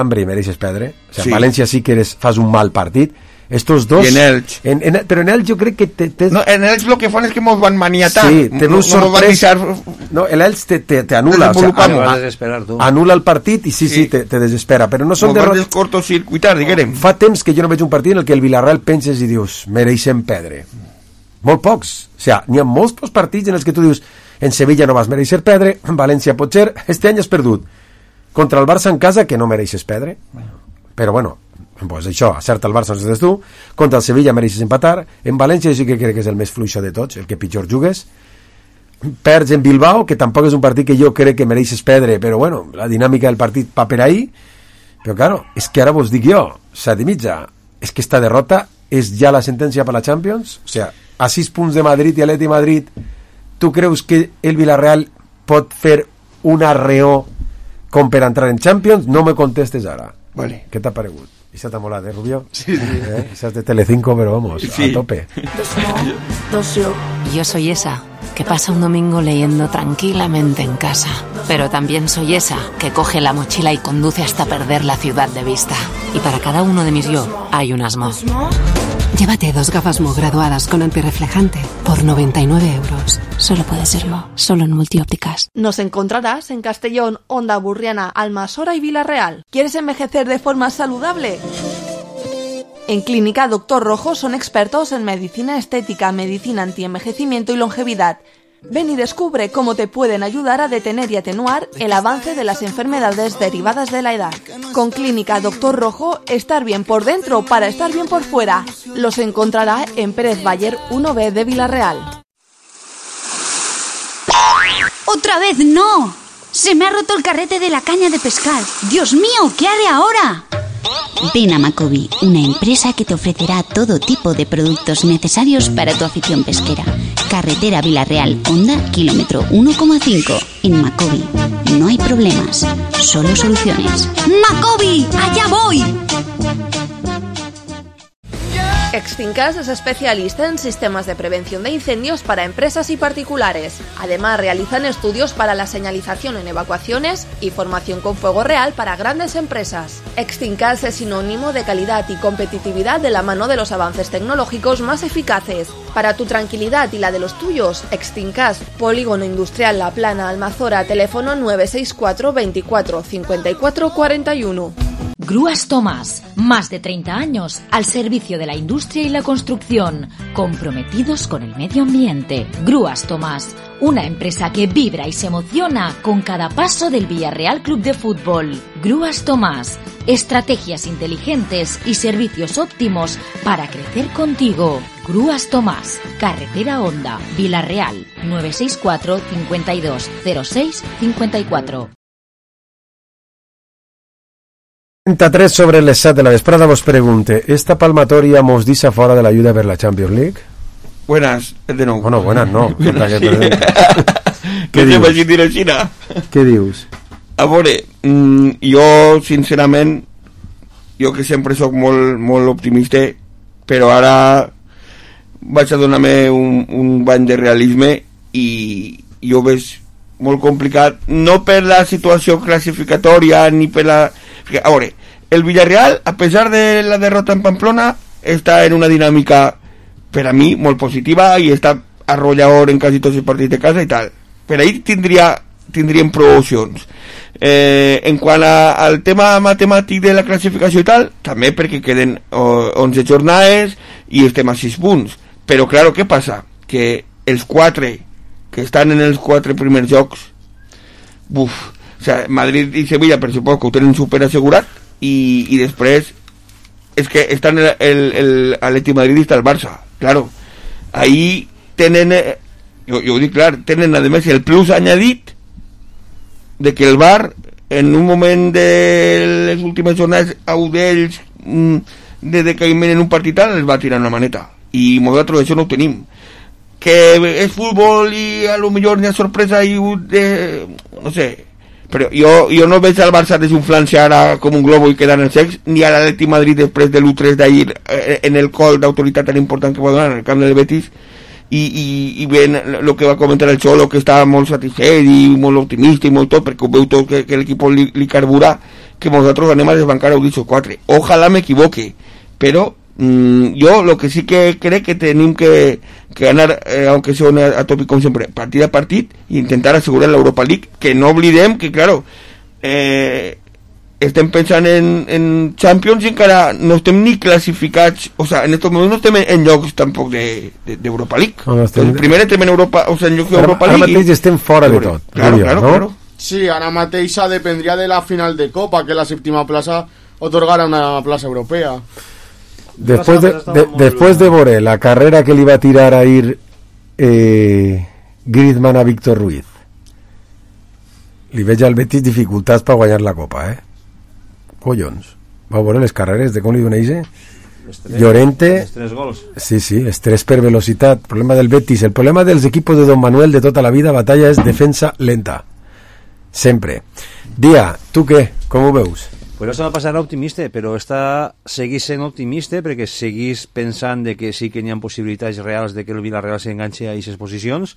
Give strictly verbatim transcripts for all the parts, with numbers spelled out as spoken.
hambre i mereixes perdre. O sea, sí. en València sí que eres, fas un mal partit. Estos dos... I en Elx. En, en, però en Elx jo crec que... Te, te... No, en Elx lo que fan és que mos van maniatar. Sí, te no, no van deixar... No, el Elx te, te, te anula. O sea, Te vas a desesperar, tu. Anula el partit i sí, sí, sí te, te desespera. Però no són Mos van derrotes... descortocircuitar, diguem. Fa temps que jo no veig un partit en el que el Villarreal penses i dius, mereixen perdre. Molt pocs. O sea, n'hi ha molts pocs partits en els que tu dius, en Sevilla no vas mereixer perdre, en València potser, este any has perdut. Contra el Barça en casa, que no mereixes perdre. Però bueno, pues això, acerta el Barça, no sé tu, contra el Sevilla mereixes empatar, en València sí que crec que és el més fluixo de tots, el que pitjor jugues, perds en Bilbao, que tampoc és un partit que jo crec que mereixes perdre, però bueno, la dinàmica del partit va per ahí, però claro, és que ara vos dic jo, set i mitja, és que esta derrota és ja la sentència per la Champions, o sea, a sis punts de Madrid i Atleti Madrid, tu creus que el Villarreal pot fer un arreó com per entrar en Champions? No me contestes ara. Vale. Què t'ha paregut? Esa te mola, ¿eh, Rubio? Sí, sí. ¿Eh? Esa es de Telecinco, pero vamos, sí. a tope. Yo soy esa que pasa un domingo leyendo tranquilamente en casa. Pero también soy esa que coge la mochila y conduce hasta perder la ciudad de vista. Y para cada uno de mis yo hay un Asmo. Llévate dos gafas Mo graduadas con antirreflejante por noventa y nueve euros. Solo puede ser Mo, solo en Multiópticas. Nos encontrarás en Castellón, Onda Burriana, Almasora y Villarreal. ¿Quieres envejecer de forma saludable? En Clínica Doctor Rojo son expertos en medicina estética, medicina antienvejecimiento y longevidad. Ven y descubre cómo te pueden ayudar a detener y atenuar el avance de las enfermedades derivadas de la edad. Con Clínica Doctor Rojo, estar bien por dentro para estar bien por fuera. Los encontrará en Pérez Bayer uno B de Villarreal. ¡Otra vez no! ¡Se me ha roto el carrete de la caña de pescar! ¡Dios mío! ¿Qué haré ahora? Ven a Macobi, una empresa que te ofrecerá todo tipo de productos necesarios para tu afición pesquera. Carretera Villarreal, Honda, kilómetro uno coma cinco. En Macobi no hay problemas, solo soluciones. ¡Macobi! ¡Allá voy! Extincas es especialista en sistemas de prevención de incendios para empresas y particulares. Además, realizan estudios para la señalización en evacuaciones y formación con fuego real para grandes empresas. Extincas es sinónimo de calidad y competitividad de la mano de los avances tecnológicos más eficaces. Para tu tranquilidad y la de los tuyos, Extincas, Polígono Industrial La Plana, Almazora, teléfono nueve seis cuatro veinticuatro cincuenta y cuatro cuarenta y uno. Grúas Tomás, más de treinta años al servicio de la industria y la construcción, comprometidos con el medio ambiente. Grúas Tomás, una empresa que vibra y se emociona con cada paso del Villarreal Club de Fútbol. Grúas Tomás, estrategias inteligentes y servicios óptimos para crecer contigo. Grúas Tomás, Carretera Honda, Villarreal, nueve seis cuatro cincuenta y dos cero seis cincuenta y cuatro. trenta-tres sobre les set de la vesprada vos pregunte, esta palmatòria mos deixa fora de l'ajuda per la Champions League? Buenas, de nou. Bueno, buenas no. Què dius? Què dius? A veure, jo sincerament, jo que sempre sóc molt, molt optimista, però ara vaig a donar-me un, un bany de realisme i jo veig molt complicat, no per la situació classificatòria ni per la... A veure, el Villarreal, a pesar de la derrota en Pamplona, està en una dinàmica, per a mi, molt positiva i està arrollador en quasi tots els partits de casa i tal. Per ahí tindria, tindríem prou opcions. Eh, en quant a, al tema matemàtic de la classificació i tal, també perquè queden oh, onze jornades i estem a sis punts. Però, claro, què passa? Que els quatre que estan en els quatre primers jocs, buf, o sea, Madrid i Sevilla per suposo que ho tenen super assegurat i, i després és que estan el, el, el Atleti madridista el Barça, claro, ahí tenen eh, jo, jo ho dic clar, tenen a més el plus añadit de que el Bar en un moment de les últimes jornades a un d'ells mm, de decaïment en un partit tal els va tirar una maneta i nosaltres això no ho tenim, que és futbol i a lo millor n'hi ha sorpresa i eh, no sé, però jo, jo no veig al Barça desinflant-se ara com un globo i quedar en el sex, ni a l'Atleti Madrid després de l'u tres d'ahir eh, en el col d'autoritat tan important que va donar en el camp del Betis i, i, i ben el que va comentar el Xolo, que estava molt satisfet i molt optimista i molt tot, perquè ho veu tot que, que l'equip li, li carbura que nosotros anem a desbancar a Udiso quatre. Ojalá me equivoque, pero mmm, yo lo que sí que creo que tenemos que, que ganar, eh, aunque sea una, a tope como siempre, partit a partit, e intentar asegurar la Europa League, que no oblidem que, claro, eh, estem pensant en, en Champions i encara no estem ni classificats, o sea, en estos moments no estem en llocs tampoc d'Europa de, de League. No, estem... Primer estem en Europa, o sea, en llocs d'Europa League. Ara mateix i... estem fora de tot. Claro, diria, claro, no? claro. Sí, ara mateix dependria de la final de Copa, que la séptima plaça otorgarà una plaça europea. Después de, de, después de veure la carrera que li va tirar a ir eh, Griezmann a Víctor Ruiz, li veig al Betis dificultats per guanyar la Copa, eh? Collons, va veure les carreres de com li doneix Llorente, els tres gols. Sí, sí, estrès per velocitat, problema del Betis, el problema dels equipos de Don Manuel de tota la vida, batalla és defensa lenta sempre. Dia, tu què? Com ho veus? Pues la setmana passada era optimista, però està, seguís sent optimista perquè seguís pensant de que sí que n'hi ha possibilitats reals de que el Villarreal s'enganxi a aquestes posicions,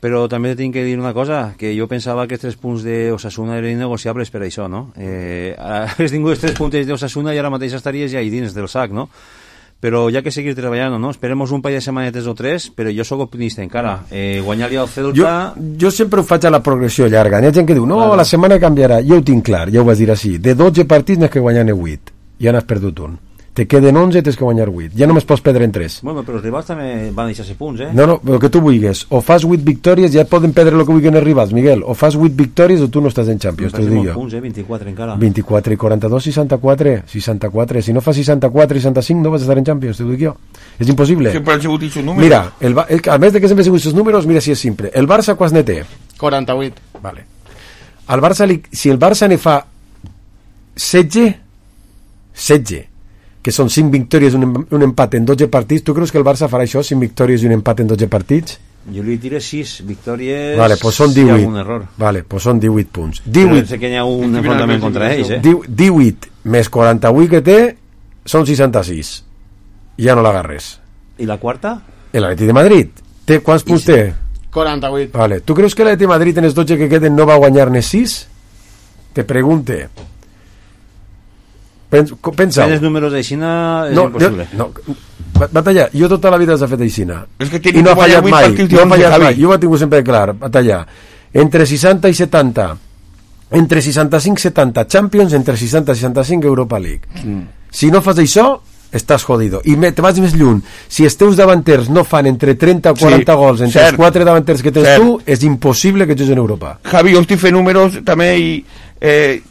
però també tinc que dir una cosa, que jo pensava que els tres punts d'Osasuna eren innegociables per això, no? Eh, has tingut els tres punts d'Osasuna i ara mateix estaries ja ahí dins del sac, no? Però ja que seguir treballant, no? Esperemos un parell de setmanetes o tres, però jo sóc optimista encara. Eh, guanyar-li al Celta... Jo, jo sempre ho faig a la progressió llarga. Hi ha gent que diu, no, vale. La setmana canviarà. Jo ho tinc clar, ja ho vas dir així. De dotze partits n'has que guanyar-ne vuit. Ja n'has perdut un. Te queden onze, tens que guanyar vuit. Ja només pots perdre en tres. Bueno, però els rivals també van deixar-se punts, eh? No, no, el que tu vulguis. O fas vuit victòries, ja poden perdre el que vulguin els rivals, Miguel. O fas vuit victòries o tu no estàs en Champions, t'ho dic jo. Punts, eh? vint-i-quatre encara. vint-i-quatre i quaranta-dos, seixanta-quatre. seixanta-quatre. Si no fas seixanta-quatre i seixanta-cinc no vas estar en Champions, t'ho dic jo. És impossible. Sempre han sigut aquests números. Mira, el, el, a més de que sempre han sigut aquests números, mira si és simple. El Barça quants ne té? quaranta-vuit. Vale. El Barça li, si el Barça ne fa setze, setze, que són cinc victòries, un, un empat en dotze partits, tu creus que el Barça farà això, cinc victòries i un empat en dotze partits? Jo li diré sis victòries. Vale, pues són divuit. Si hi ha algun error. Vale, pues són divuit punts. divuit. Però sé que hi ha un enfrontament contra ells, eh? divuit més quaranta-vuit que té són seixanta-sis. Ja no l'agarres. I la quarta? L'Atleti de Madrid. Té, quants punts té? quaranta-vuit. Vale. Tu creus que l'Atleti de Madrid en els dotze que queden no va guanyar-ne sis? Te pregunte. Pensa. En els números d'Aixina és no, impossible. No, Batalla, jo tota la vida s'ha fet Aixina. És que I no ha fallat mai. No ha fallat mai. Jo ho he tingut sempre clar, Batalla. Entre seixanta i setanta, entre seixanta-cinc i setanta Champions, entre seixanta i seixanta-cinc Europa League. Mm. Si no fas això, estàs jodido. I me, te vas més lluny. Si els teus davanters no fan entre trenta o quaranta sí, gols entre cert. Els quatre davanters que tens cert. Tu, és impossible que juguis en Europa. Javi, jo estic fent números també i... Eh,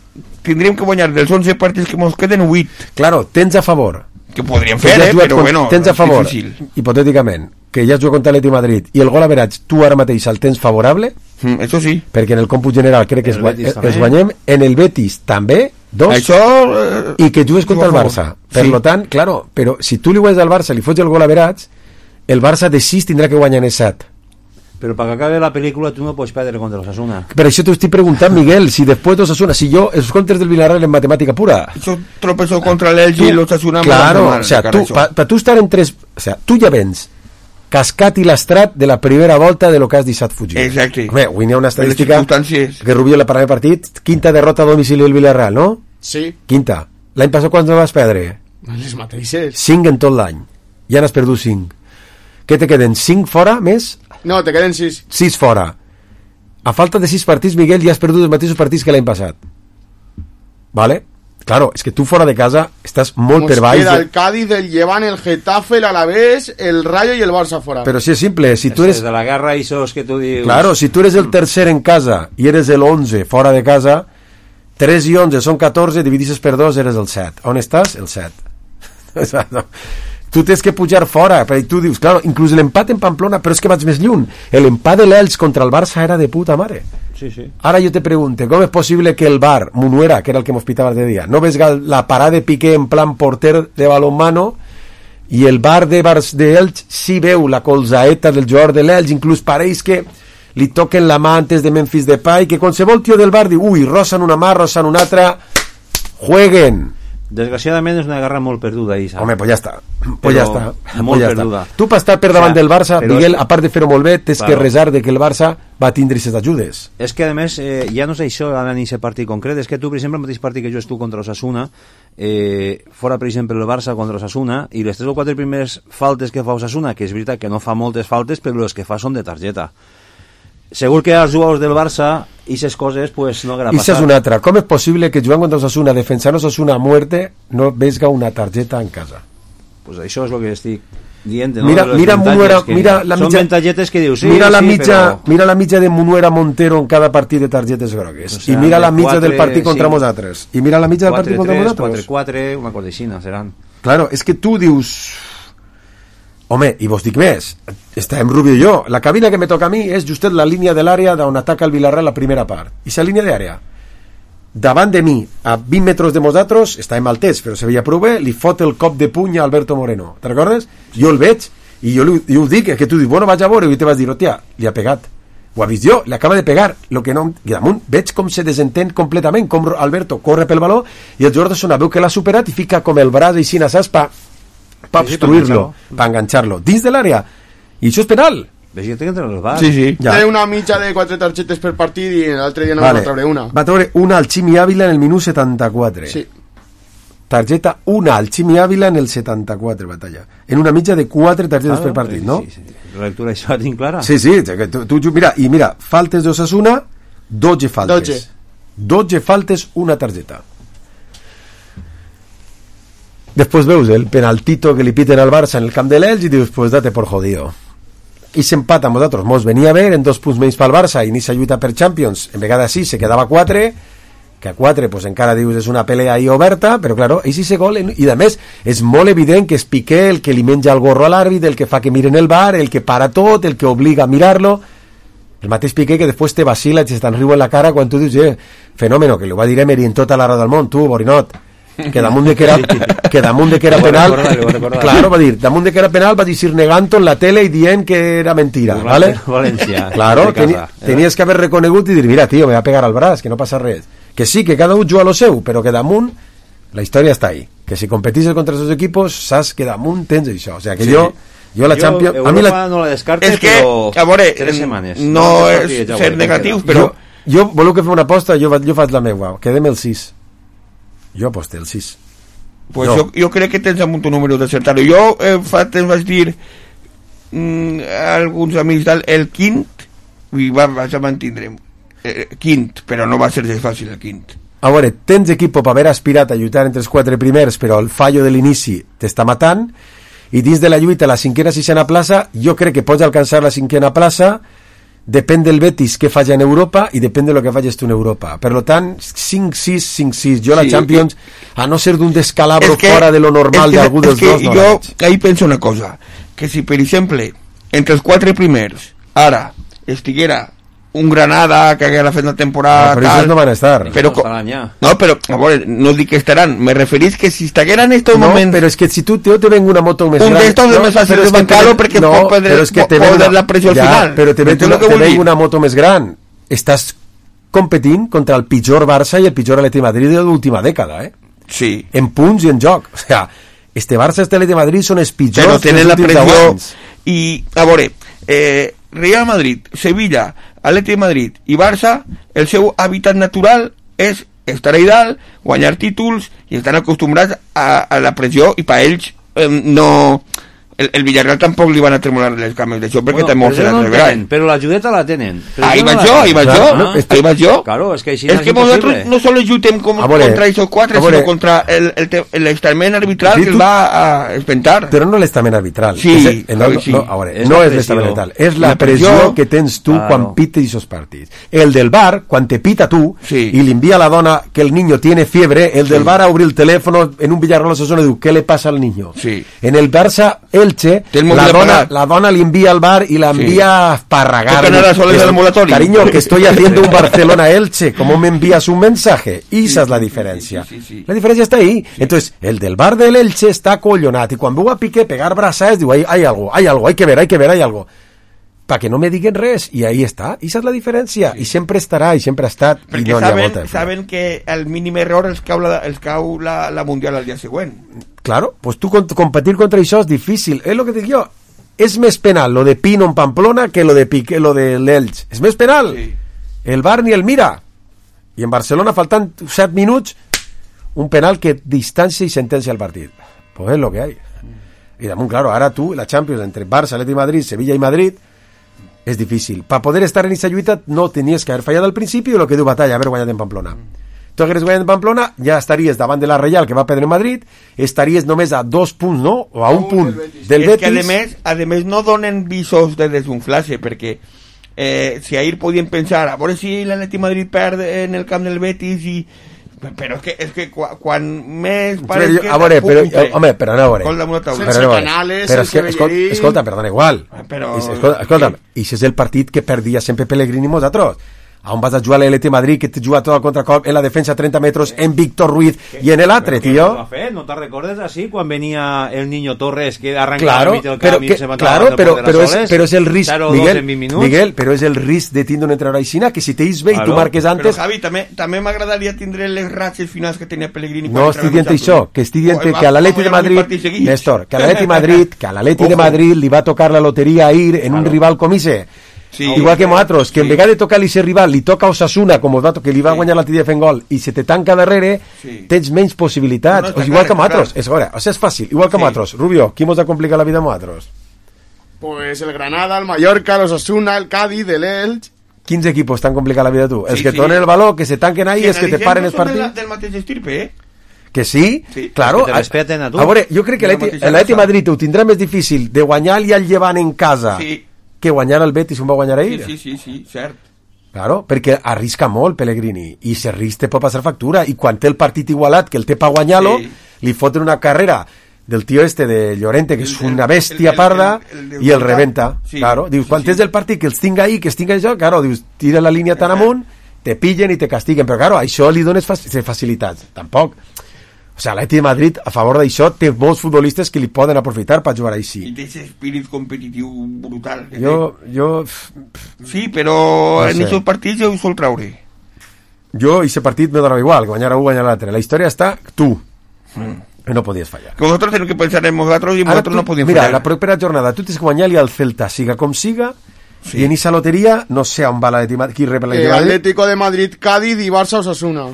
tindríem que guanyar dels onze partits que ens queden vuit. Claro, tens a favor. Que podríem fer, eh, però con, bueno, tens a favor, hipotèticament, que ja has jugat contra l'Atleti de Madrid i el gol average tu ara mateix el tens favorable, mm, això sí. Perquè en el còmput general crec que es, es, es guanyem, en el Betis també, dos, això, eh, i que jugues contra el Barça. Per sí. Lo tant, claro, però si tu li guanyes al Barça, li fots el gol average, el Barça de sis tindrà que guanyar en set. Però perquè acabe la pel·lícula tu no pots perdre contra l'Osasuna. Per això t'ho estic preguntant, Miguel, si després d'Osasuna, si jo, els contres del Villarreal en matemàtica pura... Això tropezó contra l'Elche i l'Osasuna... Claro, o sea, tu, pa, pa tu estar en tres... O sea, tu ja vens cascat i lastrat de la primera volta de lo que has deixat fugir. Exacte. Home, avui n'hi ha una estadística que Rubio la parla de partit, quinta derrota a domicili del Villarreal, no? Sí. Quinta. L'any passat quants no vas perdre? Les mateixes. Cinc en tot l'any. Ja n'has perdut cinc. Què te queden? Cinc fora més? No, te queden sis. Sis fora. A falta de sis partits, Miguel, ja has perdut els mateixos partits que l'any passat. Vale? Claro, és que tu fora de casa estàs molt per baix. Queda el Cádiz, el Llevant, el Getafe, el Alavés, el Rayo i el Barça fora. Però si és simple, si tu eres... de la guerra i sos que tu dius... Claro, si tu eres el tercer en casa i eres el onze fora de casa, tres i onze són catorze, dividisses per dos, eres el set. On estàs? El set. Exacte. Tu tens que pujar fora, perquè tu dius, claro, inclús l'empat en Pamplona, però és que vaig més lluny. L'empat de l'Elx contra el Barça era de puta mare. Sí, sí. Ara jo te pregunto, com és possible que el Bar, Munuera, que era el que m'hospitava de dia, no ves la parada de Piqué en plan porter de balonmano, i el Bar de Bars de Elx sí veu la colzaeta del jugador de l'Elx, inclús pareix que li toquen la mà antes de Memphis Depay, que qualsevol tio del Bar diu, ui, rosen una mà, rosen una altra, jueguen. Desgraciadament és una guerra molt perduda, Isa. Home, pues ja està. Pues ja està. Molt pues ja perduda. Està. Tu per estar per davant o sea, del Barça, Miguel, és... a part de fer-ho molt bé, tens claro. que resar de que el Barça va tindre aquestes ajudes. És que, a més, eh, ja no és això en aquest partit concret, és que tu, per exemple, el mateix partit que jo estuve contra Osasuna, eh, fora, per exemple, el Barça contra Osasuna, i les tres o quatre primeres faltes que fa Osasuna, que és veritat que no fa moltes faltes, però les que fa són de targeta. Segur que als jugadors del Barça i aquestes coses pues, no haguera passat. I és una altra. Com és possible que jugant contra Osasuna, defensant Osasuna a muerte, no vesga una targeta en casa? Pues això és el que estic dient. No? Mira, mira, Munuera, mira la són mitja, ventalletes que dius, sí, mira la sí, mitja, però... mira la mitja de Munuera Montero en cada partit de targetes grogues. O sea, I mira la mitja quatre, del partit contra sí. nosaltres. I mira la mitja del partit contra nosaltres. quatre quatre, una cosa així, seran. Claro, és que tu dius... Home, i vos dic més, estàvem Rubio i jo, la cabina que me toca a mi és justet la línia de l'àrea d'on ataca el Villarreal la primera part, i la línia d'àrea davant de mi, a vint metres de nosaltres, estàvem al test, però se veia prou bé, li fot el cop de puny a Alberto Moreno, te recordes? Jo el veig, i jo, li, jo ho dic, que tu dius, bueno, vaig a veure, i te vas dir, hòstia, li ha pegat, ho ha vist jo, li acaba de pegar, lo que no, i damunt veig com se desentén completament, com Alberto corre pel baló, i el jugador de Sona veu que l'ha superat i fica com el braç així na saspa per obstruir-lo, per enganxar-lo dins de l'àrea, i això és penal. Ves que té que entrar al bar. Sí, sí. Ja. Té una mitja de quatre targetes per partit i l'altre dia no vale. va treure una. Va treure una al Ximi Ávila en el minut setanta-quatre. Sí. Targeta una al Ximi Ávila en el setanta-quatre, batalla. En una mitja de quatre targetes ah, per partit, sí, no? Sí, sí. La lectura això la tinc clara. Sí, sí. Tu, tu, mira, i mira, faltes d'Osasuna, dotze faltes. dotze faltes, una targeta. Después veus el penaltito que li piten al Barça en el camp de l'Elx i dius, pues date por jodido. I s'empata amb nosaltres. Mos venia a ver en dos punts menys pel Barça i inicia lluita per Champions. En vegada sí, se quedava quatre, que a quatre pues encara dius és una pelea ahí oberta, però claro, és ese gol, i a més és molt evident que és Piqué el que li menja el gorro a l'àrbit, el que fa que miren el bar, el que para tot, el que obliga a mirar-lo. El mateix Piqué que després te vacila i te'n riu en la cara quan tu dius, eh, fenòmeno, que li ho va dir Emery en tota la raó del món, tu, Borinot, que damunt de que era, que damunt de que era penal, claro, va dir, damunt de que era penal va dir negant-ho en la tele i dient que era mentira, ¿vale? València, claro, teni, tenies que haver reconegut i dir, mira, tio, me va pegar al braç, que no passa res. Que sí, que cada un juga a lo seu, però que damunt la història està ahí. Que si competisses contra els equipos, saps que damunt tens això. O sea, que sí. jo Jo la Champions... Europa a mi la... no la descarte, és que, però... a veure, tres setmanes. No, no és ser negatius, però... Jo, jo voleu que fem una aposta? Jo, jo faig la meva. Quedem el sis. Jo aposté el sis. Pues jo, jo crec que tens amunt un número d'acertar-ho. Jo eh, fa temps vaig dir mm, a alguns amics del el quint i va, vaig a mantindre eh, quint, però no va ser de fàcil el quint. A veure, tens equip per haver aspirat a lluitar entre els quatre primers, però el fallo de l'inici t'està matant, i dins de la lluita la cinquena sisena plaça jo crec que pots alcançar la cinquena plaça, depèn del Betis que falla en Europa i depèn de lo que falles tu en Europa. Per lo tant, cinc sis, cinc sis, jo la sí, Champions que... a no ser d'un descalabro que, fora de lo normal d'algú dels dos no jo ahí penso una cosa, que si per exemple entre els quatre primers ara estiguera un Granada que haguera fet la temporada no, però tal, no van a estar però, no, però a veure, no dic que estaran me referís que si estiguera en estos no, moments però és que si tu te, te venga una moto més un gran d'estos no, és més fàcil desbancar-lo perquè no, pot perdre, és que te una, la pressió ja, al final però te venga una, te una moto més gran estàs competint contra el pitjor Barça i el pitjor Atleti Madrid de l'última dècada eh? Sí. En punts i en joc o sea, este Barça i este Atleti Madrid són els pitjors però tenen la pressió i a veure eh, Real Madrid, Sevilla, Atleti de Madrid i Barça, el seu hàbitat natural és estar a dalt, guanyar títols i estan acostumbrats a, a la pressió i per ells eh, no... El, el Villarreal tampoc li van a tremolar les cames d'això perquè bueno, també se la rebran. Però la judeta la tenen. Ahí vaig jo, ahí vaig jo, ahí vaig jo. Claro, és que, és que nosaltres no solo lluitem com, contra aquests quatre, sinó contra l'estament arbitral sí, que el va a espentar. Però no l'estament arbitral. Sí, és, no, no, sí. No, a veure, no és l'estament arbitral, és la, la pressió, pressió que tens tu claro. Quan pites aquests partits. El del bar, quan te pita tu sí. i li envia a la dona que el niño tiene fiebre, el del sí. bar a obrir el teléfono en un Villarreal Osasuna i diu, ¿qué le pasa al niño? Sí. En el Barça Elche, la dona, la dona le envía al bar y la envía a esparragar. Cariño, que estoy haciendo un Barcelona-Elche, ¿cómo me envías un mensaje? Y esa sí, es la diferencia. Sí, sí, sí. La diferencia está ahí. Sí. Entonces, el del bar del Elche está collonat y cuando veo a Piqué pegar brazas, digo, hay, hay algo, hay algo, hay que ver, hay que ver, hay algo. perquè no me diguen res, i ahí està, i és la diferència, sí. I sempre estarà, i sempre ha estat, perquè i no saben, n'hi ha molta. saben que el mínim error els cau, la, els cau la, la Mundial al dia següent. Claro, pues tu competir contra això és difícil, és lo que dic jo, és més penal lo de Pino en Pamplona que lo de Piqué, lo de l'Elx, és més penal, sí. El Bar ni el mira, i en Barcelona faltant set minuts, un penal que distancia i sentencia el partit, pues és lo que hay. Y damunt, claro, ara tu, la Champions entre Barça, Atleti Madrid, Sevilla i Madrid, és difícil. Per poder estar en aquesta lluita no tenies que haver fallat al principi o el que diu Batalla, haver guanyat en Pamplona. Tu hagués guanyat en Pamplona, ja estaries davant de la Reial, que va perdre en Madrid, estaries només a dos punts, no? O a un punt del Betis. És que, a més, a més, no donen visos de desunflar-se, perquè eh, si ahir podien pensar, a veure si l'Atleti Madrid perd en el camp del Betis i... Però és que, és que quan, quan més... Però, jo, a veure, però, home, però no, a veure. Sense però, canales, però sense Bellerín... Escolta, escolta, perdona, igual. Però... Escolta, escolta, i si és el partit que perdia sempre Pellegrini i nosaltres. On vas a jugar a l'Atleti Madrid, que te juga tot el contracop en la defensa a trenta metres, en Víctor Ruiz i en l'altre, tio. ¿No te recordes así quan venia el Niño Torres que arrancava claro, al mig del pero camp que, i se claro, pero, pero, es, pero es el risc, Miguel, Miguel, Miguel, però és el risc de tindre un entrenador aixina, que si t'ells bé claro. I tu marques antes... Però Javi, també, també m'agradaria tindre les ratxes finals que tenia Pellegrini. No estic dient això, que estic dient que a l'Atleti de Madrid, Néstor, que a l'Atleti Madrid, que a l'Atleti de Madrid li va tocar la loteria a ir en un rival com ese. Sí, igual que nosaltres, que sí. En vegada de tocar-li ese rival li toca a Osasuna, com va que li va sí. Guanyar la tira de fent gol i se te tanca darrere, sí. Tens menys possibilitats, no, no, o igual clar, que nosaltres, és, veure, o sigui, és fàcil, igual que sí. Nosaltres. Rubio, qui mos ha complicat la vida a nosaltres? Pues el Granada, el Mallorca, el Osasuna, el Cádiz, el Elx. Quins equipos t'han complicat la vida tu? Sí, els que sí. Donen el valor, que se tanquen ahí, sí, els que te paren els partits? Del, del mateix estirpe, eh? Que sí, sí. Claro. Que te respeten a tu. A veure, jo crec que l'Atleti Madrid ho tindrà més difícil de guanyar-li al Llevant en casa. Sí. Que guanyar el Betis on va guanyar ahir. Sí, sí, sí, sí, cert. Claro, perquè arrisca molt Pellegrini i si risc te pot passar factura i quan té el partit igualat que el té per guanyar-lo sí. Li foten una carrera del tio este de Llorente que és una bèstia el, el, parda el, el, el, i el rebenta sí, claro, dius, quan sí, tens sí. El partit que els tinga ahí que els tinga això, claro, dius, tira la línia tan amunt te pillen i te castiguen, però claro, això li dones facilitats, tampoc. O sigui, l'Atleti de Madrid, a favor d'això, té molts futbolistes que li poden aprofitar per jugar així. I té aquest espírit competitiu brutal. Jo, jo... Sí, però no en aquests partits jo ho sol traure. Jo, aquest partit me donava igual, guanyar un, guanyar l'altre. La història està tu, mm. que no podies fallar. Que vosaltres tenim que pensar en nosaltres i nosaltres no podíem mira, fallar. Mira, la propera jornada, tu tens que guanyar-li al Celta, siga com siga, sí. I en aquesta loteria, no sé on va l'Atleti Madrid, qui rep l'Atleti eh, Madrid. Atlético de Madrid, Cádiz i Barça Osasuna.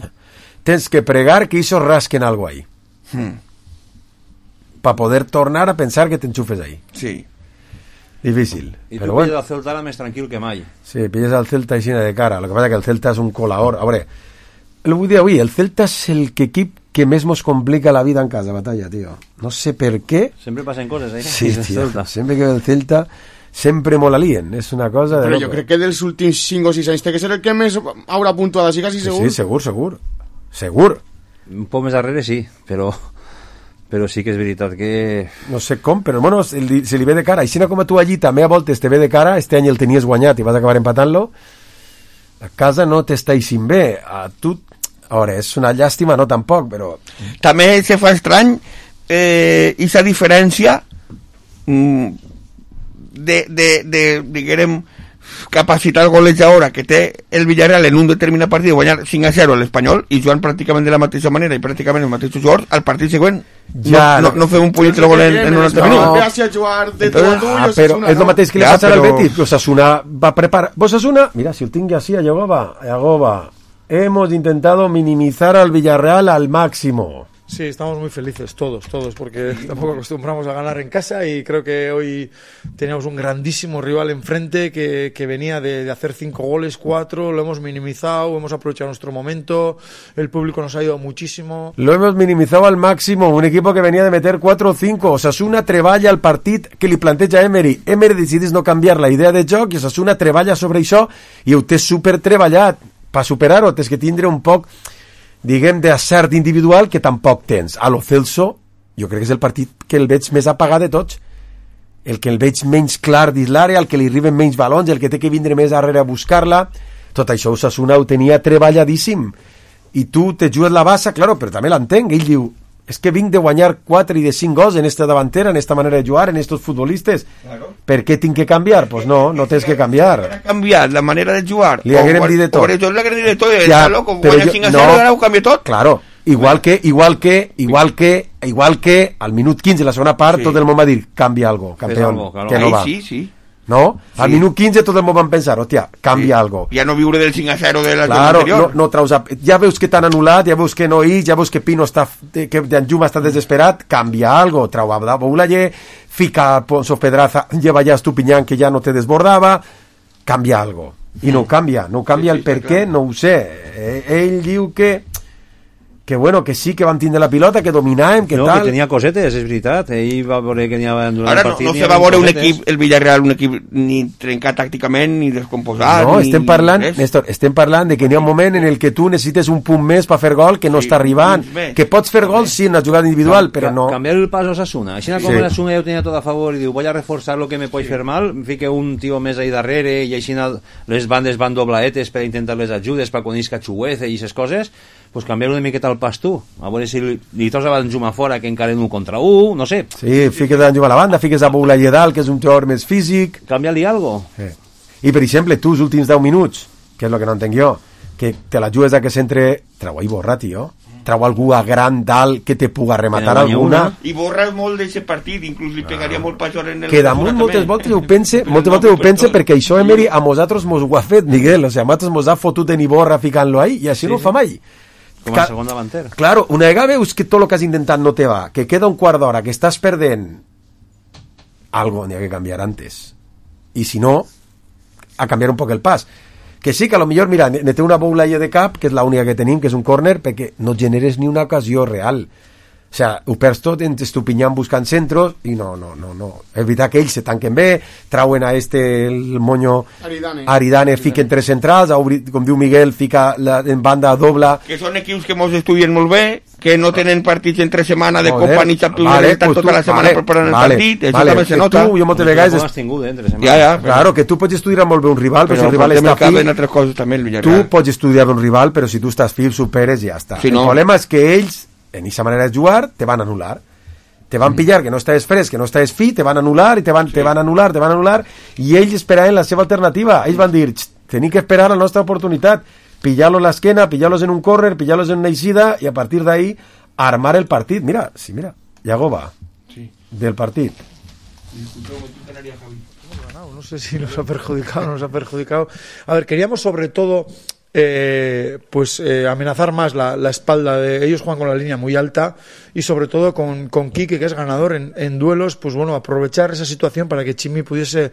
Tens que pregar que això rasquen algo ahí. Hmm. Para poder tornar a pensar que te enchufes ahí. Sí. Difícil. Y pero tú bueno. pilles al Celta ahora más tranquilo que mai. Sí, pilles al Celta y sin de cara. Lo que pasa es que el Celta es un colador. A veure, el vull dir avui, el Celta és el que equip que més mos complica la vida en casa, Batalla, tio. No sé per què. Sempre passen coses, eh? Sí, tio. Sempre que el Celta sempre molt alien, és una cosa de però jo crec que dels últims cinc o sis anys té que ser el que més haurà puntuat, així quasi segur. Sí, segur, segur. Segur. Un poc més darrere sí, però però sí que és veritat que... No sé com, però bueno, se li, se li ve de cara. I si no com a tu allí també a voltes te ve de cara, este any el tenies guanyat i vas acabar empatant-lo, a casa no t'està eixint bé. A tu, a veure, és una llàstima, no tampoc, però... També se fa estrany eh, aquesta diferència mm, de, de, de, diguem, capacitat golejadora que té el Villarreal en un determinat partit de guanyar cinc a zero a l'Espanyol i jugant pràcticament de la mateixa manera i pràcticament els mateixos jugadors, al partit següent ja, no, no, no fem un punyet de gol en, en un altre minut. No. Entonces, ah, però és el mateix que li passa al Betis. Osasuna va preparar... Osasuna, mira, si el tinc así a Yagoba, a Yagoba, hemos intentado minimizar al Villarreal al máximo. Sí, estamos muy felices todos, todos, porque tampoco acostumbramos a ganar en casa y creo que hoy teníamos un grandísimo rival enfrente que, que venía de, de hacer cinco goles, cuatro, lo hemos minimizado, hemos aprovechado nuestro momento, el público nos ha ayudado muchísimo. Lo hemos minimizado al máximo, un equipo que venía de meter cuatro o cinco, Osasuna treballa el partit que li planteja Emery, Emery decidís no canviar la idea de joc i Osasuna treballa sobre això i ho té super treballat, per superar-ho tens que tindre un poc diguem d'acert individual que tampoc tens. A lo Celso jo crec que és el partit que el veig més apagat de tots, el que el veig menys clar dins l'àrea, el que li arriben menys balons, el que té que vindre més darrere a buscar-la. Tot això Osasuna ho tenia treballadíssim i tu te jugues la bassa, claro, però també l'entenc, ell diu és que vinc de guanyar quatre i de cinc gols en esta davantera, en esta manera de jugar, en estos futbolistes. Claro. Per què tinc que canviar? Pues no, no tens que canviar. Canviar la manera de jugar. Li haguem dit de tot. Por eso le haguem dit de tot. Està loco, guanya cinc a cero, ara ho canvia tot. Claro. Igual que, igual que, igual que, igual que al minut quinze, la segona part, sí. Tot el món va dir, canvia algo, campeón, algo, claro. Que no va. Sí, sí. No? Sí. Al minut quinze tot el món van pensar, hòstia, canvia sí. Algo. Ja no viure del cinc a zero de la claro, anterior. No, no traus a... Ja veus que t'han anul·lat, ja veus que no hi, ja veus que Pino està, que Danjuma està desesperat, canvia algo, trau a Boulaye, fica Ponzo Pedraza, lleva ja Estupiñán que ja no te desbordava, canvia algo. I no ho canvia, no ho canvia sí, sí, el per què, no ho sé. Eh, ell diu que que bueno, que sí que van tindre la pilota, que dominàvem, que no, tal... No, que tenia cosetes, és veritat. Ell va veure que n'hi havia durant ara el partit... Ara no, no se va veure un equip, el Villarreal, un equip ni trencat tàcticament, ni descomposat, no, ni... estem parlant, Néstor, estem parlant de que n'hi ha un moment en el que tu necessites un punt més per fer gol que no sí, està arribant, que pots fer gol sí, en una jugada individual, però no... Canviar el pas a Osasuna. Així com sí. L'Osasuna ja ho tenia tot a favor i diu, voy a reforçar lo que me pot sí. Fer mal, fique un tio més ahí darrere i així les bandes van doblaetes per intentar les ajudes, per quan isca Chuguece i aquestes coses, pues canviar una miqueta el pas tu, a veure si li, li trobes a Danjuma fora que encara en un contra un, no sé. Sí, fiques a Danjuma a la banda, fiques a Boulaye dalt, que és un jugador més físic. Canvia-li algo. Sí. I, per exemple, tu els últims deu minuts, que és el que no entenc jo, que te la jugues a que s'entre... Trau a Borra, tio. Trau algú a gran dalt que te puga rematar alguna. I Borra molt d'aquest partit, inclús li pegaria ah. molt pas en el... Que damunt moltes voltes ho pense, moltes voltes ho pense perquè això, Emery, a nosaltres mos ho ha fet, Miguel. O sigui, a nosaltres mos ha fotut en Iborra ficant-lo ahí i així sí, no ho fa mai. Com a segon davanter. Claro, una vegada veus que tot el que has intentat no te va, que queda un quart d'hora, que estàs perdent, algo n'hi ha que canviar antes. I si no, a canviar un poc el pas. Que sí, que a lo millor, mira, ne té una Boulaye de cap, que és l'única que tenim, que és un córner, perquè no generes ni una ocasió real. O sea, ho perds tot en Estupiñán buscant centros i no, no, no, no. És veritat que ells se tanquen bé, trauen a este el moño Aridane, Aridane fiquen tres centrals, obrit, com diu Miguel, fica la, en banda dobla. Que són equips que mos estudien molt bé, que no tenen partits entre setmana de Copa ni Champions, vale, estan pues tota tu, la setmana vale, preparant vale, el partit, això vale, també se nota. Tu, jo moltes vegades... Es... Eh, ja, ja, claro, que tu pots estudiar molt bé un rival, però, però si el rival està fi... Coses, també, el tu pots estudiar un rival, però si tu estàs fi, superes i ja està. Si no... El problema és que ells en esa manera de jugar, te van a anular. Te van pillar que no estàs fresc, que no estàs fi, te van a anular, i te van, sí. te van a anular, te van a anular, i ells esperaven la seva alternativa. Ells van dir, tenim que esperar la nostra oportunitat, pillar-los a l'esquena, pillar-los en un córner, pillar-los en una eixida, i a partir d'ahí armar el partit. Mira, sí, mira, Yago va sí. del partit. No sé si nos ha perjudicado o no nos ha perjudicado. A ver, queríamos sobre todo... Eh, pues eh, amenazar más la, la espalda de ellos. Juegan con la línea muy alta y sobre todo con, con Quique, que es ganador en, en duelos, pues bueno, aprovechar esa situación para que Chimi pudiese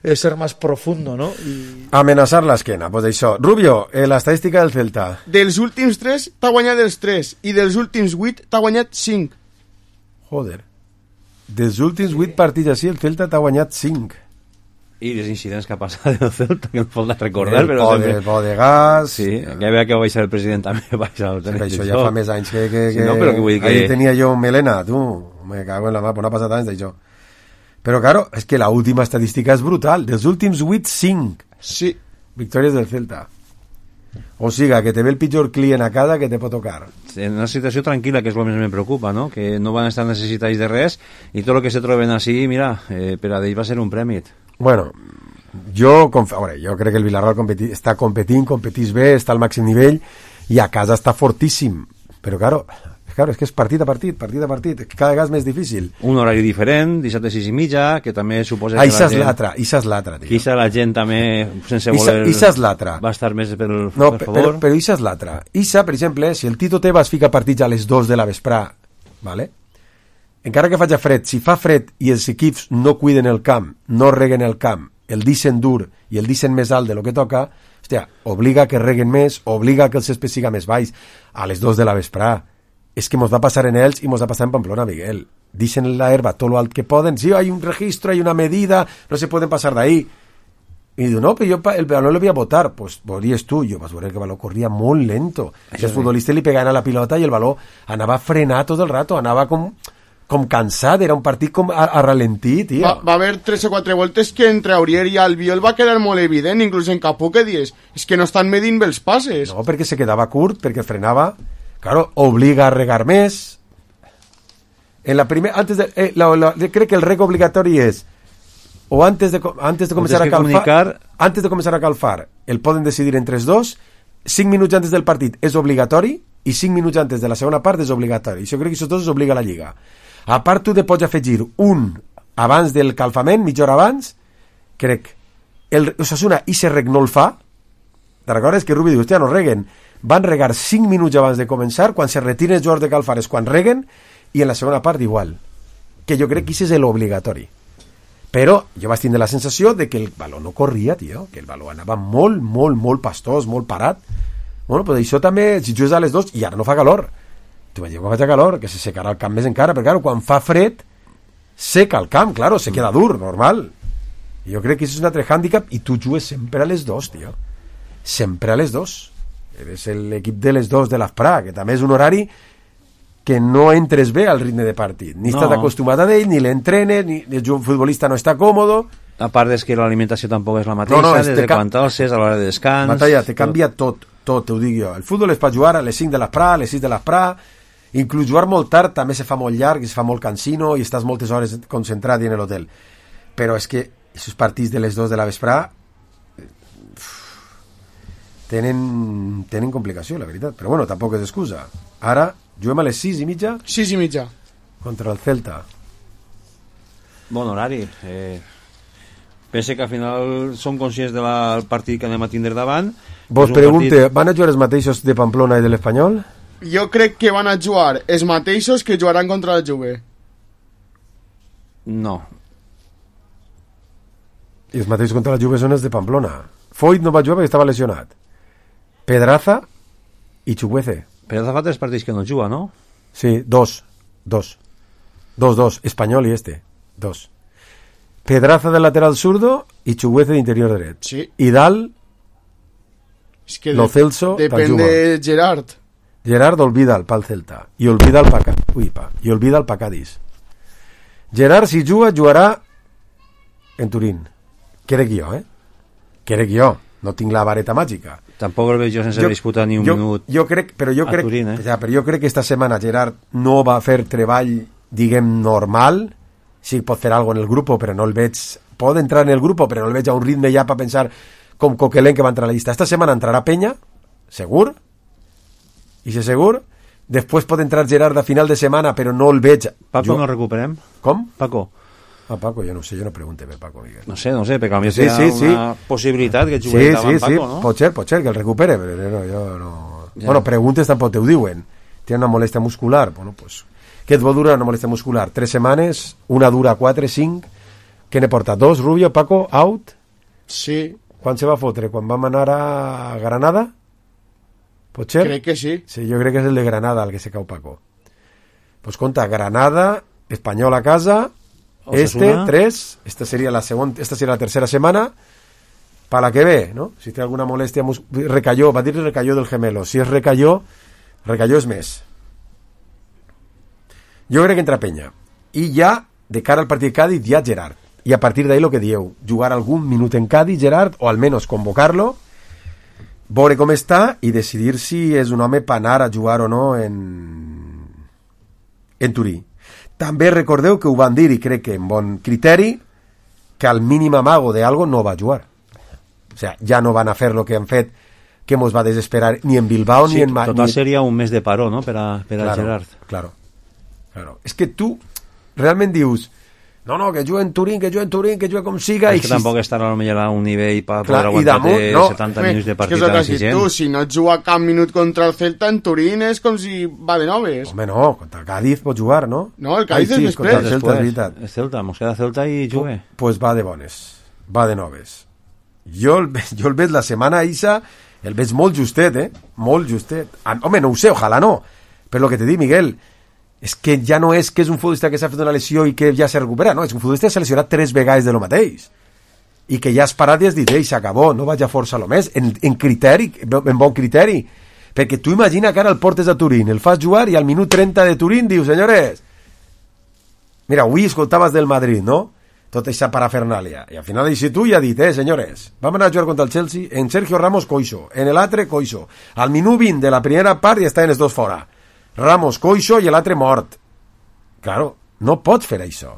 eh, ser más profundo, ¿no? Y... amenazar l'esquena, pues això. Rubio, eh, l'estadística del Celta. Dels últims tres t'ha guanyat els tres i dels últims vuit t'ha guanyat cinc. Joder, dels últims vuit partits així el Celta t'ha guanyat cinc. I les incidents que ha passat el Celta, que no pot recordar, el però po sempre... El po de gas... Sí, que veia que va baixar el president també, va baixar el tenir. Això ja fa més anys que... que, que... Sí, no, però que vull dir que... Ahí tenia jo melena, tu, me cago en la mà, no ha passat anys d'això. Però, claro, és que la última estadística és brutal. Dels últims vuit, cinc. Sí. Victòries del Celta. O siga, que te ve el pitjor client a casa que te pot tocar. En una situació tranquil·la, que és el que més me preocupa, no? Que no van estar necessitats de res i tot el que se troben així, mira, eh, per a d'ells va ser un prèmit. Bueno, jo, conf... veure, jo crec que el Villarreal competi... està competint, competís bé, està al màxim nivell i a casa està fortíssim. Però, claro, claro, és que és partit a partit, partit a partit, cada vegada és més difícil. Un horari diferent, dissabte sis i mitja, que també suposa ah, que la gent... l'altra, Issa és l'altra, tio. Issa la gent també, sense voler... Issa és l'altra. Va estar més per, no, per favor. Però, però Issa és l'altra. Issa, per exemple, si el Tito Tebas fica partits a les dos de la vesprà, vale? Encara que faci fred, si fa fred i els equips no cuiden el camp, no reguen el camp, el dicen dur i el dicen més alt de lo que toca, hòstia, obliga que reguen més, obliga que el césped siga més baix a les dos de la vesprà. És que mos va passar en ells i mos va passar en Pamplona, Miguel. Dicen la herba tot lo alt que poden, sí, hay un registro, hay una medida, no se pueden pasar de ahí. I diu, no, però jo el balón lo voy a botar. Pues veuries tu, jo vas veure que el baló corria molt lento. Això els futbolistes li pegaven a la pilota i el baló anava a frenar tot el rato, anava com... com cansat, era un partit com a, a ralentí, tio. Va, va haver tres o quatre voltes que entre Aurier i Albiol va quedar molt evident, inclús en Capó, que dius, és que no estan medint bé els passes. No, perquè se quedava curt, perquè frenava, claro, obliga a regar més, En la primera, antes de, eh, la, la, crec que el rec obligatori és o antes de, antes de començar a calfar, comunicar... antes de començar a calfar, el poden decidir entre els dos, cinc minuts antes del partit és obligatori i cinc minuts antes de la segona part és obligatori. Jo crec que això dos es obliga a la Lliga. A part, tu te pots afegir un abans del calfament, mitja hora abans, crec. El Osasuna i se rec no el fa. Te recordes que Rubi diu, hòstia, no reguen. Van regar cinc minuts abans de començar, quan se retiren els jugadors de calfar és quan reguen, i en la segona part igual. Que jo crec que això és l'obligatori. Però jo vaig tindre la sensació de que el baló no corria, tio, que el baló anava molt, molt, molt pastós, molt parat. Bueno, però això també, si jugues a les dos, i ara no fa calor. Tu m'ha dit, quan fa calor, que se secarà el camp més encara, perquè, claro, quan fa fred, seca el camp, claro, se queda dur, normal. I jo crec que això és un altre hàndicap, i tu jugues sempre a les dos, tio. Sempre a les dos. Eres l'equip de les dos de l'Afprà, que també és un horari que no entres bé al ritme de partit. Ni no. Estàs acostumat a ell, ni l'entrenes, ni el futbolista no està còmodo. A part és que l'alimentació tampoc és la mateixa, no, no, des de quan t'alces a l'hora de descans... Matalla, te canvia tot, tot, t'ho dic jo. El futbol es pot jugar a les cinc de l'Afprà, a les sis de l'Afprà, inclús jugar molt tard també se fa molt llarg, se fa molt cansino i estàs moltes hores concentrat en l'hotel. Però és que aquests partits de les dos de la vesprà tenen, tenen complicació, la veritat. Però bueno, tampoc és excusa. Ara juguem a les sis i mitja? sis i mitja. Contra el Celta. Bon horari. Eh, pense que al final som conscients del partit que anem a tindre davant. Vos pregunte, partit... van a jugar els mateixos de Pamplona i de l'Espanyol? Jo crec que van a jugar els mateixos que jugaran contra la Juve. No. I els mateixos contra la Juve són els de Pamplona. Foyt no va jugar perquè estava lesionat. Pedraza i Chukwueze. Pedraza fa tres partits que no juga, no? Sí, dos. Dos. Dos, dos. Espanyol i este. Dos. Pedraza de lateral zurdo i Chukwueze d'interior dret. Sí. I dalt es que Lo Celso depèn de Gerard. Gerard olvida el pal Celta i olvida el pa, ui, pa, i olvida el pa Cádiz. Gerard, si juga, jugarà en Turín. Crec jo, eh? Crec jo. No tinc la vareta màgica. Tampoc el veig jo sense jo, disputar ni un jo, minut jo crec, però jo crec, Turín, eh? ja, però jo crec que esta setmana Gerard no va fer treball, diguem, normal. Sí, pot fer alguna en el grup, però no el veig... Pot entrar en el grup, però no el veig a un ritme ja per pensar com Coquelin que va entrar a la llista. Esta setmana entrarà Peña, segur, i si segur, després pot entrar Gerard a final de setmana, però no el veig... Paco jo... no recuperem? Com? Paco. Ah, Paco, jo no sé, jo no pregunte per Paco, Miguel. No sé, no sé, perquè a mi sí, sí, sí. una possibilitat que jugui sí, davant sí, Paco, sí. no? Pot ser, pot ser, que el recupere, però no, jo no... Ja. Bueno, preguntes tampoc te ho diuen. Té una molèstia muscular, bueno, pues... Què et vol durar una molèstia muscular? Tres setmanes, una dura quatre, cinc... Què ne porta? Dos, Rubio, Paco, out? Sí. Quan se va fotre? Quan vam anar a Granada? Pot ser? Crec que sí. Sí, jo crec que és el de Granada el que se cau Paco. Pues compta, Granada, Espanyol a casa... Este, tres, esta sería la segunda, esta sería la tercera semana para la que ve, ¿no? Si tiene alguna molestia, mus- recayó, va a decir recayó del gemelo. Si es recayó, recayó es mes. Yo creo que entra Peña. Y ya, de cara al partido de Cádiz, ya Gerard. Y a partir de ahí lo que dieu, jugar algún minuto en Cádiz, Gerard, o al menos convocarlo, veure com està y decidir si és un home per anar a jugar o no en, en Turí. També recordeu que ho van dir, i crec que en bon criteri, que al mínim amago de algo no va jugar. O sea, ja no van a fer lo que han fet, que mos va desesperar ni en Bilbao sí, ni en... Total ni... seria un mes de paró, no?, per a, per a claro, Gerard. Claro, claro. És que tu realment dius, no, no, que jugue en Turín, que jugue en Turín, que jugue com siga... És i que si... tampoc estarà a millor a un nivell per clar, poder aguantar-te no, setanta minuts de partit és que tan exigent. Tu, si no et juga cap minut contra el Celta en Turín és com si va de noves. Home, no, contra el Cádiz pot jugar, no? No, el Cádiz Ai, és sí, contra el després. Celta, és veritat. El Celta, mos queda Celta i jugue. Pues va de bones, va de noves. Jo el, jo el veig la setmana Isa, el veig molt justet, eh? Molt justet. Ah, home, no ho sé, ojalà no. Però el que te dic, Miguel, és que ja no és que és un futbolista que s'ha fet una lesió i que ja s'ha recuperat, no, és un futbolista que s'ha lesionat tres vegades de lo mateix. I que ja has parat i has dit, ei, s'acabó, no vaig a forçar-lo més, en, en criteri, en bon criteri. Perquè tu imagina que ara el portes a Turín, el fas jugar i al minut trenta de Turín dius, senyores, mira, avui escoltaves del Madrid, no? Tota aquesta parafernàlia. I al final així tu ja has dit, eh, senyores, vam anar a jugar contra el Chelsea, en Sergio Ramos, coixo, en l'altre, coixo. Al minut vint de la primera part ja estaven els dos fora. Ramos, coixo, i l'altre mort. Claro, no pot fer això.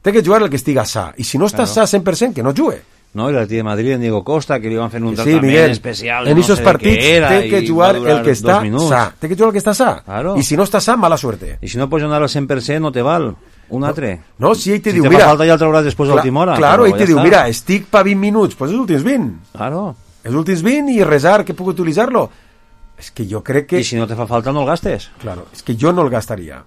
Té que jugar el que estiga sa. I si no està Claro. sa cent per cent, que no jugue. No, i l'Atlètic de Madrid, en Diego Costa, que li van fer un Sí, tractament Miguel, especial. en no esos sé de partits què era, té que i jugar va durar el que està dos minuts. sa. Té que jugar el que està sa. Claro. I si no està sa, mala suerte. I si no pots anar al cent per cent, no te val. Un altre. No, si ell te si diu, te mira... fa falta ja el trauràs després de Cla- l'última hora. Claro, però ell te ja diu, està. mira, estic pa vint minuts, pues els últims vint. Claro. Els últims vint i resar que puc utilitzar-lo. És que jo crec que... I si no te fa falta, no el gastes. Claro, és que jo no el gastaria.